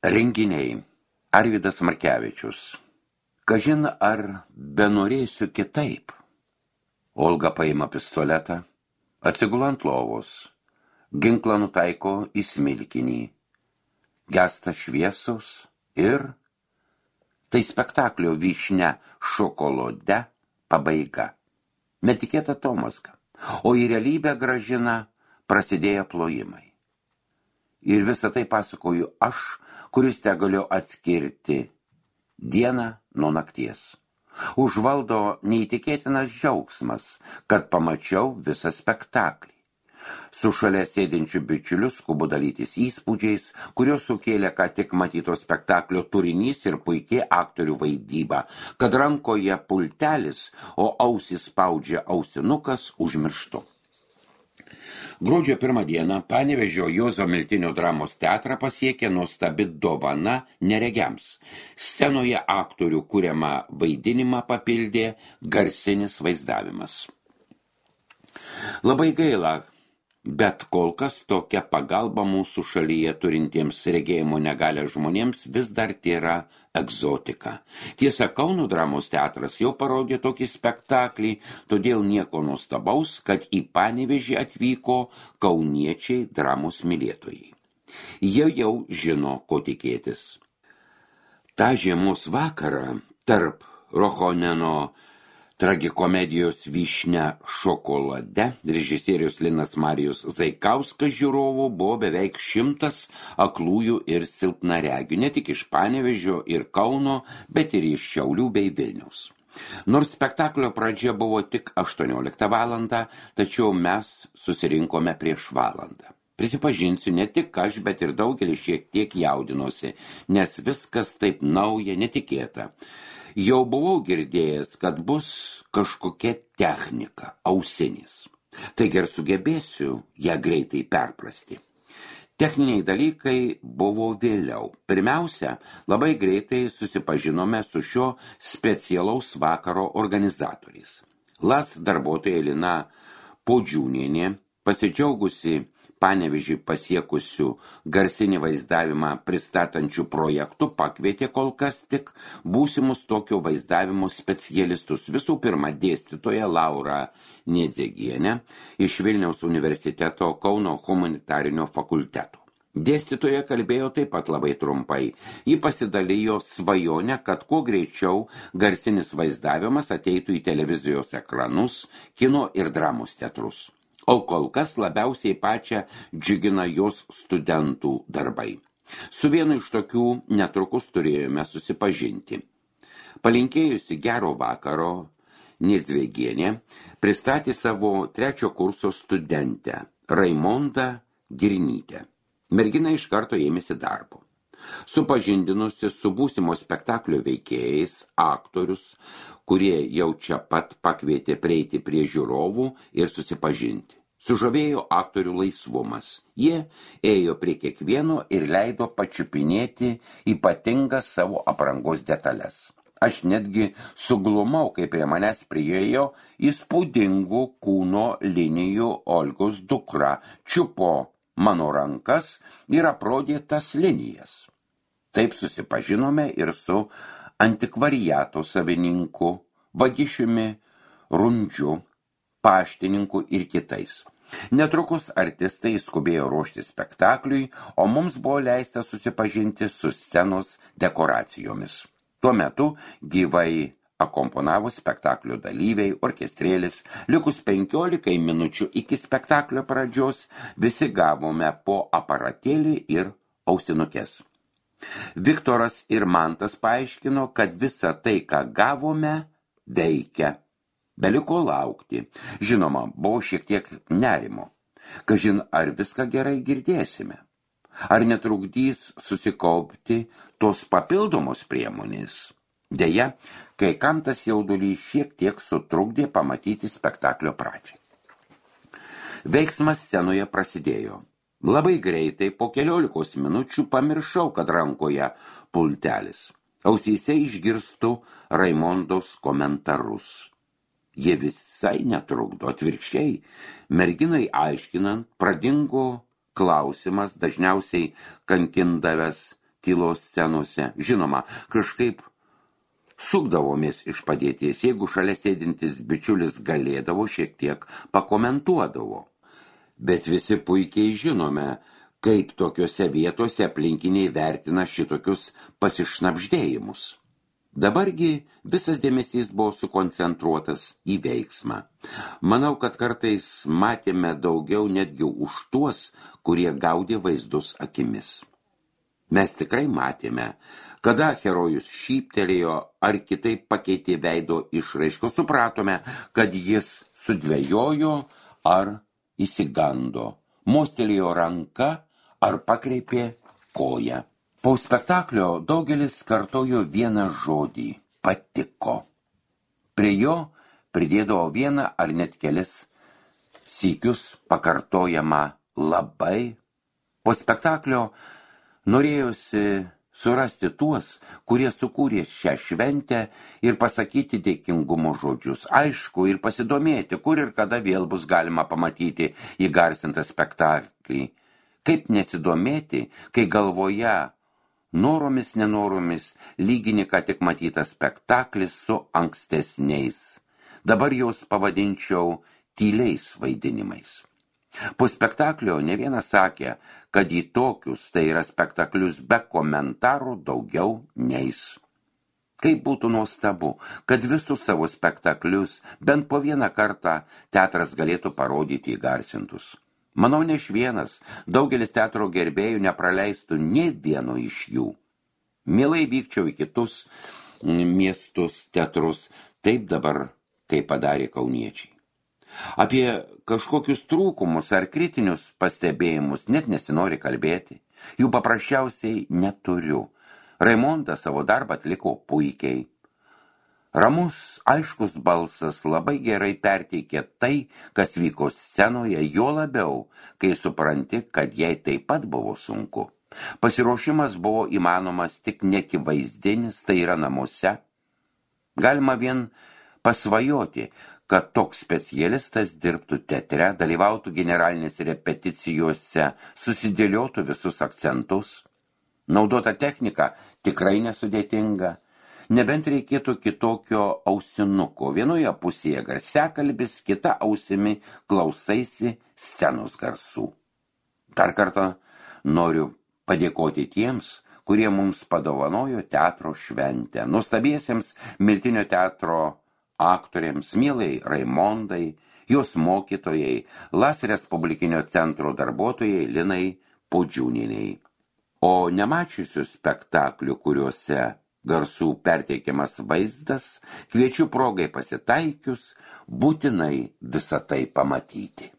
Renginiai. Arvydas Markevičius. Kažin ar benorėsiu kitaip. Olga paima pistoletą, atsigula ant lovos, ginklą nutaiko į smilkinį. Gesta šviesos ir tai spektaklio Vyšnia šokolade pabaiga. Netikėta tomazga, o į realybę grąžina prasidėję plojimai. Ir visą tai pasakoju aš, kuris tegaliu atskirti dieną nuo nakties. Užvaldo neįtikėtinas džiaugsmas, kad pamačiau visą spektaklį. Su šalia sėdinčiu bičiuliu skubu dalytis įspūdžiais, kurios sukėlė ką tik matyto spektaklio turinys ir puikiai aktorių vaidyba, kad rankoje pultelis, o ausys spaudžia ausinukas užmirštu. Gruodžio 1 dieną Panevėžio Juozo Miltinio dramos teatrą pasiekė nuostabi dovana neregiams. Scenoje aktorių kuriamą vaidinimą papildė garsinis vaizdavimas. Labai gaila, bet kol kas tokia pagalba mūsų šalyje turintiems regėjimo negalią žmonėms vis dar tėra egzotika. Tiesa, Kauno dramos teatras jau parodė tokį spektaklį, todėl nieko nuostabaus, kad į Panevėžį atvyko kauniečiai dramos mylėtojai. Jie jau žino, ko tikėtis. Ta žiemos vakarą tarp Rochoneno tragikomedijos Vyšnia šokolade režisierius Linas Marijus Zaikauskas žiūrovų buvo beveik 100 aklųjų ir silpnaregių, ne tik iš Panevėžio ir Kauno, bet ir iš Šiaulių bei Vilniaus. Nors spektaklio pradžia buvo tik 18 valandą, tačiau mes susirinkome prieš valandą. Prisipažinsiu, ne tik aš, bet ir daugelis šiek tiek jaudinosi, nes viskas taip nauja, netikėta. Jau buvau girdėjęs, kad bus kažkokia technika, ausinis. Taigi ir sugebėsiu ją greitai perprasti. Techniniai dalykai buvo vėliau. Pirmiausia, labai greitai susipažinome su šio specialaus vakaro organizatoriais. LAS darbuotoja Lina Podžiūnienė, pasidžiaugusi Panevėžį pasiekusių garsinį vaizdavimą pristatančių projektų, pakvietė kol kas tik būsimus tokio vaizdavimo specialistus. Visų pirma, dėstytoja Laura Niedzegienė iš Vilniaus universiteto Kauno humanitarinio fakulteto. Dėstytoja kalbėjo taip pat labai trumpai. Ji pasidalijo svajonę, kad kuo greičiau garsinis vaizdavimas ateitų į televizijos ekranus, kino ir dramos teatrus. O kol kas labiausiai pačią džiugina jos studentų darbai. Su vienu iš tokių netrukus turėjome susipažinti. Palinkėjusi gero vakaro, Niedzvegienė pristatė savo 3 kurso studentę, Raimondą Girnytę. Mergina iš karto ėmėsi darbo. Supažindinusi su būsimo spektaklio veikėjais, aktorius, kurie jau čia pat pakvietė prieiti prie žiūrovų ir susipažinti. Sužavėjo aktorių laisvumas. Jie ėjo prie kiekvieno ir leido pačiupinėti ypatingas savo aprangos detalės. Aš netgi suglumau, kai prie manęs priėjo įspūdingų kūno linijų Olgos dukra, čiupo mano rankas ir aprodė tas linijas. Taip susipažinome ir su antikvariato savininku, Vagišiumi Rundžiu, paštininku ir kitais. Netrukus artistai skubėjo ruošti spektakliui, o mums buvo leista susipažinti su scenos dekoracijomis. Tuo metu gyvai akomponavo spektaklio dalyviai, orkestrėlis. Likus 15 minučių iki spektaklio pradžios visi gavome po aparatėlį ir ausinukes. Viktoras ir Mantas paaiškino, kad visa tai, ką gavome, veikia. Beliko laukti. Žinoma, buvo šiek tiek nerimo. Kažin, ar viską gerai girdėsime? Ar netrukdys susikaupti tos papildomos priemonės? Deja, kai kam tas jaudulys šiek tiek sutrukdė pamatyti spektaklio pradžią. Veiksmas scenoje prasidėjo. Labai greitai, po 15 minučių pamiršau, kad rankoje pultelis. Ausyse išgirstu Raimondos komentarus. Jie visai netrukdo, atvirkščiai. Merginai aiškinant, pradingo klausimas, dažniausiai kankindavęs tylos scenose. Žinoma, kažkaip sukdavomės iš padėties, jeigu šalia sėdintis bičiulis galėdavo, šiek tiek pakomentuodavo. Bet visi puikiai žinome, kaip tokiose vietose aplinkiniai vertina šitokius pasišnabždėjimus. Dabargi visas dėmesys buvo sukoncentruotas į veiksmą. Manau, kad kartais matėme daugiau netgi už tuos, kurie gaudė vaizdus akimis. Mes tikrai matėme, kada herojus šyptelėjo ar kitaip pakeitė veido išraišką, supratome, kad jis sudvejojo ar įsigando, mostelėjo ranką ar pakreipė koją. Po spektaklio daugelis kartojo vieną žodį – patiko. Prie jo pridėdavo vieną ar net kelis sykius pakartojamą labai. Po spektaklio norėjosi surasti tuos, kurie sukūrė šią šventę ir pasakyti dėkingumo žodžius. Aišku, ir pasidomėti, kur ir kada vėl bus galima pamatyti įgarsintą spektaklį. Kaip nesidomėti, kai galvoje noromis nenoromis lygini ką tik matytas spektaklis su ankstesniais. Dabar jos pavadinčiau tyliais vaidinimais. Po spektaklio ne vienas sakė, kad į tokius, tai yra spektaklius be komentarų, daugiau neis. Kaip būtų nuostabu, kad visus savo spektaklius bent po vieną kartą teatras galėtų parodyti įgarsintus. Manau, ne iš vienas, daugelis teatro gerbėjų nepraleistų nė vieno iš jų. Mielai vykčiau į kitus miestus, teatrus, taip dabar, kaip padarė kauniečiai. Apie kažkokius trūkumus ar kritinius pastebėjimus net nesinori kalbėti. Jų paprasčiausiai neturiu. Raimondas savo darbą atliko puikiai. Ramus, aiškus balsas labai gerai perteikė tai, kas vyko scenoje, jo labiau, kai supranti, kad jai taip pat buvo sunku. Pasiruošimas buvo įmanomas tik neakivaizdinis, tai yra namuose. Galima vien pasvajoti, kad toks specialistas dirbtų teatre, dalyvautų generalinėse repeticijose, susidėliotų visus akcentus. Naudota technika tikrai nesudėtinga. Nebent reikėtų kitokio ausinuko. Vienoje pusėje garsiakalbis, kita ausimi klausaisi scenos garsų. Dar kartą noriu padėkoti tiems, kurie mums padovanojo teatro šventę. Nuostabiesiems Miltinio teatro aktoriams, mielai Raimondai, jos mokytojai, LAS Respublikinio centro darbuotojai Linai Pudžiūnieniai. O nemačiusių spektaklių, kuriuose garsų perteikiamas vaizdas, kviečiu progai pasitaikius būtinai visą tai pamatyti.